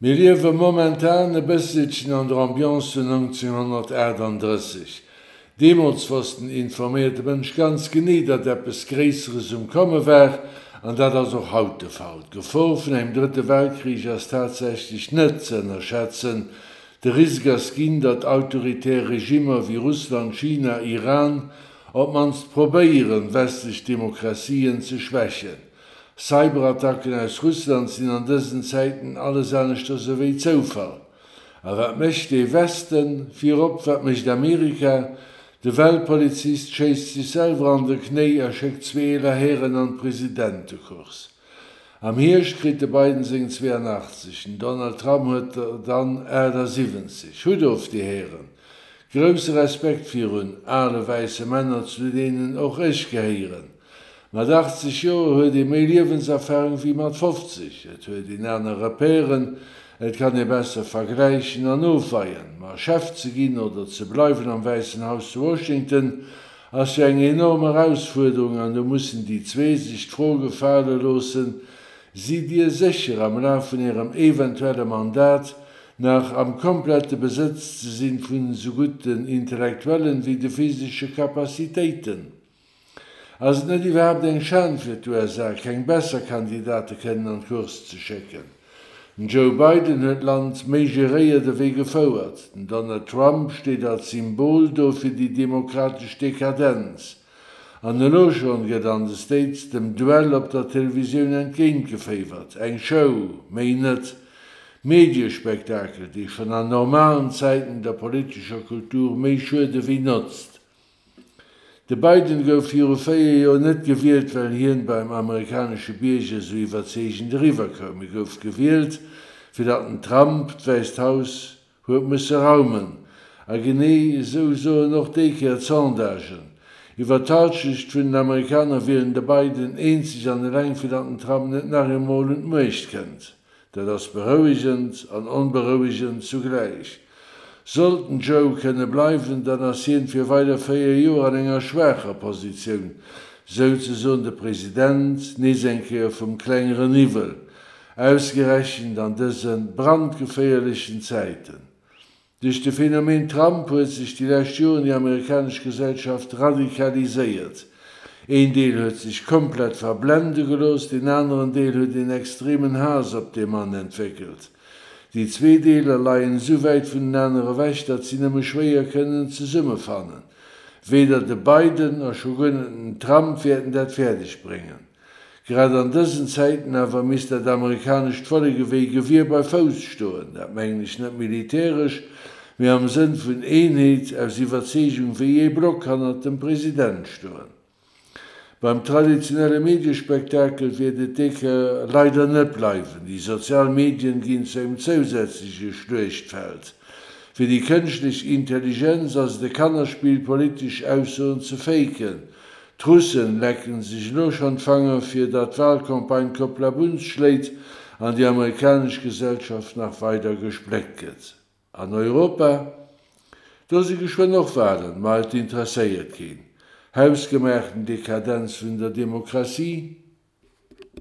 Mir liewe momentan e bësselchen an der Ambiance vun 1938. Deemools wosst den informéierte Mënsch ganz genee, datt eppes Gréisseres um Komme war, an dat ass och haut de Fall. D'Gefor vun engem Drëtte Weltkrich ass tatsächlech net ze ënnerschätzen. De Risk ass ginn, datt autoritär Regimmer wéi Russland, China, Iran op d'mannst probéieren, westlech Demokratien ze schwächen. Cyberattacken aus Russland sinn an dësen Zäiten alles aneschters ewéi Zoufall. A wat mécht dee Westen? Virop, wat mécht Amerika? De Weltpolizist schéisst sech selwer an de Knéi a schéckt zwee eeler Hären an d'Presidentecourse. Am Hierscht kritt de Biden seng 82, den Donald Trump huet der dann 78. Hutt of, dir Hären! Grousse Respekt virun ale wäisse Männer, zu deenen och ech gehéieren. Mat 80 Joer huet ee méi Liewenserfarung wéi mat 50. Et huet een aner Repèren, et kann ee besser vergläichen an ofweien. Ma Chef ze ginn oder ze bleiwen am Wäissen Haus zu Washington ass jo eng enorm Erausfuerderung an do mussen déi zwee sech d'Fro gefale loossen, Sidd Dir sécher am Laf vun Ärem eventuelle Mandat nach am komplette Besëtz ze sinn vun esou gutt den intellektuellen wéi de physesche Capacitéiten? Ass et net iwwerhaapt eng Schan fir d'USA, keng besser Kandidate kënnen an d'Course ze schécken? Den Joe Biden huet d'Land méi geréiert ewéi gefouert. Den Donald Trump steet als Symbol do fir déi demokratesch Dekadenz. An elo schonn gëtt an de States dem Duell op der Televisioun entgéintgeféiwert. Eng Show, méi net. Mediespektakel, dee schonn an normalen Zäiten der politescher Kultur méi schuede wéi notzt. De Biden gouf viru 4 Joer net gewielt, well hien beim amerikanesche Bierger sou iwwerzeegend eriwwer koum. E gouf gewielt, fir datt den Trump d'Wäisst Haus huet musse raumen. A genee esou soen och déi Kéier d'Sondagen. Iwwer d'Halschecht vun den Amerikaner wielen de Biden eenzeg an eleng, fir datt den Trump net nach eemol un d'Muecht kënnt. Dat ass berouegend an onberouegend zugläich. Sollt den Joe kënne bleiwen, dann ass hien fir weider 4 Joer an enger schwaacher Positioun, souzesoen de President, nees eng Kéier vum klengeren Iwwel, ausgerechent an dëse brandgeféierlechen Zäiten. Duerch de Phänomen Trump huet sech déi lescht Joren déi amerikanesch Gesellschaft radikaliséiert. Een Deel huet sech komplett verblende gelooss, deen aneren Deel huet een extremen Haass op dee Mann entwéckelt. Déi zwee Deeler leien esou wäit vunenaner ewech, datt si nëmme schwéier kënnen zesummefannen. Weder de Biden a scho guer net den Trump wäerten dat fäerdeg bréngen. Grad an dësen Zäiten awer misst dat amerikanescht Vollek ewéi Gewier bei Fouss stoen. Dat mengen ech net militäresch, mee am Sënn vun Eenheet, aus Iwwerzeegung wéi ee Block hannert dem President stoen. Beim traditionelle Mediespektakel wäert et déi Kéier leider net bleiwen. Déi sozial Medien ginn zu engem zousätzleche Schluechtfeld. Fir déi kënschtlech Intelligenz ass et e Kannerspill, politesch Aussoen ze faken. D'Russen lecken sech elo schonn d'Fanger fir datt d'Wahlcampagne Kopplabunz schléit an déi amerikanesch Gesellschaft nach weider gespléckt gëtt. An Europa? Do si geschwënn och Wahlen, ma et interesséiert keen. Hausgemaachten Dekadenz vun der Demokratie?